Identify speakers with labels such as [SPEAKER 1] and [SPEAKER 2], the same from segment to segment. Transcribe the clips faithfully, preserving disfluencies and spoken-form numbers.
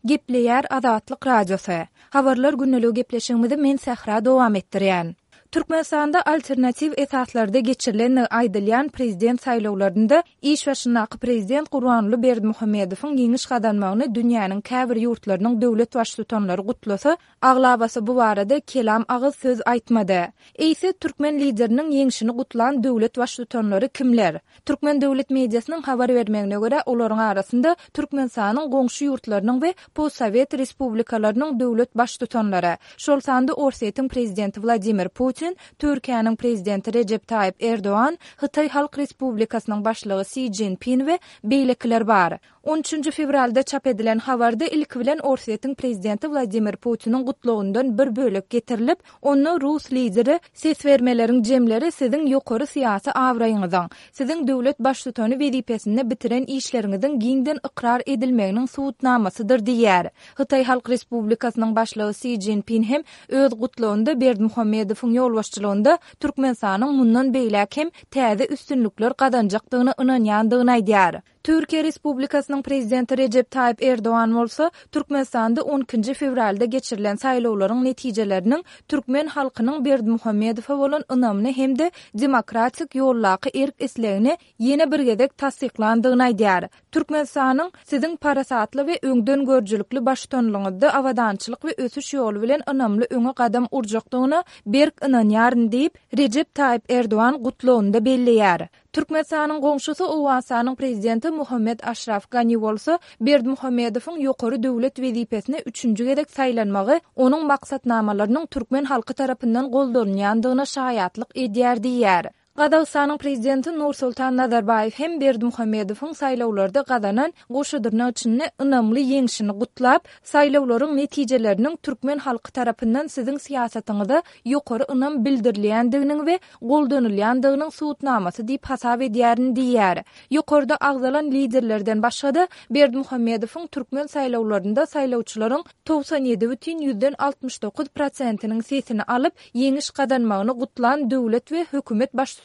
[SPEAKER 1] Gepleýär Azatlyk Radiosy. Habarlar gündeligi gepleşigimizi men Sähra dowam etdirýän. Türkmenistanda alternatiw esaslarda geçirilendigi aýdylýan prezident saýlawlarynda iş başyndaky prezident Gurbanguly Berdimuhamedowyň ýeňiş gazanmagyny dünýäniň käbir ýurtlarynyň döwlet baştutanlary gutlasa, aglabasy bu barada kelam agyz söz aýtmady. Eýse, türkmen lideriniň ýeňşini gutlan döwlet baştutanlary kimler? Türkmen döwlet mediasynyň habar bermegine görä, olaryň arasynda Türkmenistanyň goňşy ýurtlarynyň we postsowet respublikalarynyň döwlet baştutanlary, şol sanda Orsýetiň prezidenti Wladimir Putin, Türkiýäniň prezidenti Rejep Taýyp Erdogan, Hytaý Halk Respublikasynyň başlygy Si Szinpin we beýlekiler bar. On üçünji fewralda çap edilen habarda ilki bilen Orsýetiň prezidenti Wladimir Putiniň gutlagyndan bir bölek getirilip, onda rus lideri ses bermeleriň jemleri siziň ýokary syýasy abraýyňyzyň, siziň döwlet baştutany wezipesinde bitiren işleriňiziň giňden ykrar edilmeginiň subutnamasydyr diýýär. Hytaý Halk Respublikasynyň başlygy Si Szinpin hem öz gutlagynda Berdimuhamedowyň ýolbaşçylygynda Türkmenistanyň mundan beýläk hem täze üstünlikler gazanjakdygyna ynanýandygyny aýdýar. Türkiýe Respublikasynyň Prezidenti Rejep Taýyp Erdogan bolsa, Türkmenistanda on ikinji fewralda geçirilen saýlawlaryň netijeleriniň türkmen halkynyň Berdimuhamedowa bolan ynamyny hem-de demokratik ýoldaky erk-islegini ýene bir gezek tassyklandygyny aýdýar. Türkmenistanyň siziň parasatly we öňdengörüjilikli baştutanlygyňyzda abadançylyk we ösüş ýoly bilen ynamly öňe gadam urjakdygyna berk ynanýaryn diýip, Rejep Taýyp Erdogan gutlagynda belleýär. Türkmenistanyň goňşusy Owganystanyň prezidenti Muhammet Aşraf Gani bolsa, Berdimuhamedowyň ýokary döwlet wezipesine üçünji gezek saýlanmagy onuň maksatnamalarynyň türkmen halky tarapyndan goldanylýandygyna şaýatlyk edýär diýýär. Gazagystanyň prezidenti Nursultan Nazarbaýew hem Berdimuhamedowyň saýlawlarda gazanan goşa dyrnak içinde ynamly ýeňşini gutlap, saýlawlaryň netijeleriniň türkmen halky tarapyndan siziň syýasatyňyza ýokary ynam bildirilýändiginiň we goldanylýandygynyň subutnamasy diýip hasap edýärin diýýär. Ýokarda agzalan liderlerden başga-da Berdimuhamedowyň türkmen saýlawlarynda saýlawçylaryň togsan ýedi bütin ýüzden altmyş dokuz prosentiniň sesini alyp, ýeňiş gazanmagyny gutlan döwlet we hökümet baştutanlarynyň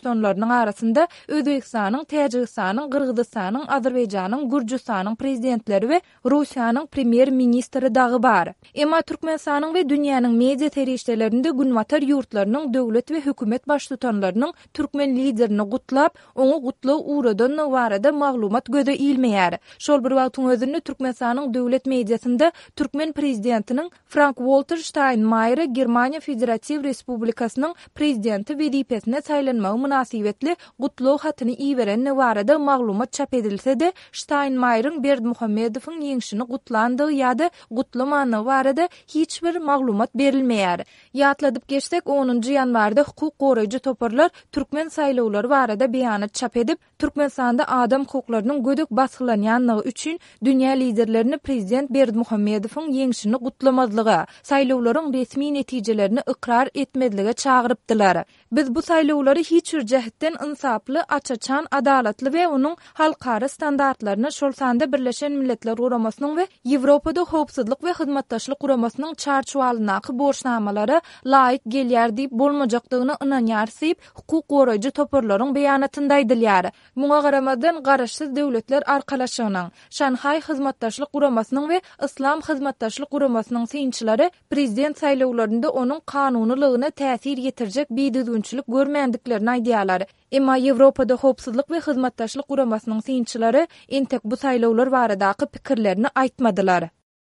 [SPEAKER 1] arasynda Özbegistanyň, Täjigistanyň, Gyrgyzystanyň, Azerbaýjanyň, Gürjüstanyň prezidentleri we Russiýanyň premýer-ministri dagy bar. Emma Türkmenistanyň we dünýäniň media serişdelerinde günbatar ýurtlarynyň döwlet we hökümet baştutanlarynyň türkmen liderini gutlap, oňa gutlag ugradandygy barada maglumat göze ilmeýär. Şol bir wagtyň özünde Türkmenistanyň döwlet mediasynda türkmen prezidentiniň Frank-Walter Ştaýnmaýere Germaniýa Federatiw Respublikasynyň prezidenti wezipesine saýlanmagy mynasybetli gutlag hatyny iberendigi barada maglumat çap edilse-de, Ştaýnmaýeriň Berdimuhamedowyň ýeňşini gutlandygy ýa-da gutlamandygy barada hiç bir maglumat berilmeýär. Ýatladyp geçsek, onunjy ýanwarda hukuk goraýjy toparlar türkmen saýlawlary barada beýanat çap edip, Türkmenistanda adam hukuklarynyň gödek basgylanýanlygy üçin dünýä liderlerini prezident Berdimuhamedowyň ýeňşini gutlamazlyga, saýlawlaryň resmi netijelerini ykrar etmezlige çagyrypdylar. Biz bu saýlawlary hiç bir jähtden ynsaply, aç-açan, adalatly we onuň halkara standartlaryna, şol sanda Birleşen Milletler Guramasynyň we Ýewropada Howpsuzlyk we Hyzmatdaşlyk Guramasynyň çarçuwalyndaky borçnamalara laýyk gelýär diýip bolmajakdygyna ynanýarys diýip, hukuk goraýjy toparlaryň beýanatynda aýdylýar. Muňa garamazdan, Garaşsyz Döwletler Arkalaşygynyň, Şanhaý Hyzmatdaşlyk Guramasynyň we Yslam Hyzmatdaşlyk Guramasynyň synçylary prezident saýlawlarynda onuň kanunylygyna täsir ýetirjek bidüzgünçilik görmändiklerini aýdýarlar. Emma Ýewropada Howpsuzlyk we Hyzmatdaşlyk Guramasynyň synçylary entek bu saýlawlar baradaky pikirlerini aýtmadylar.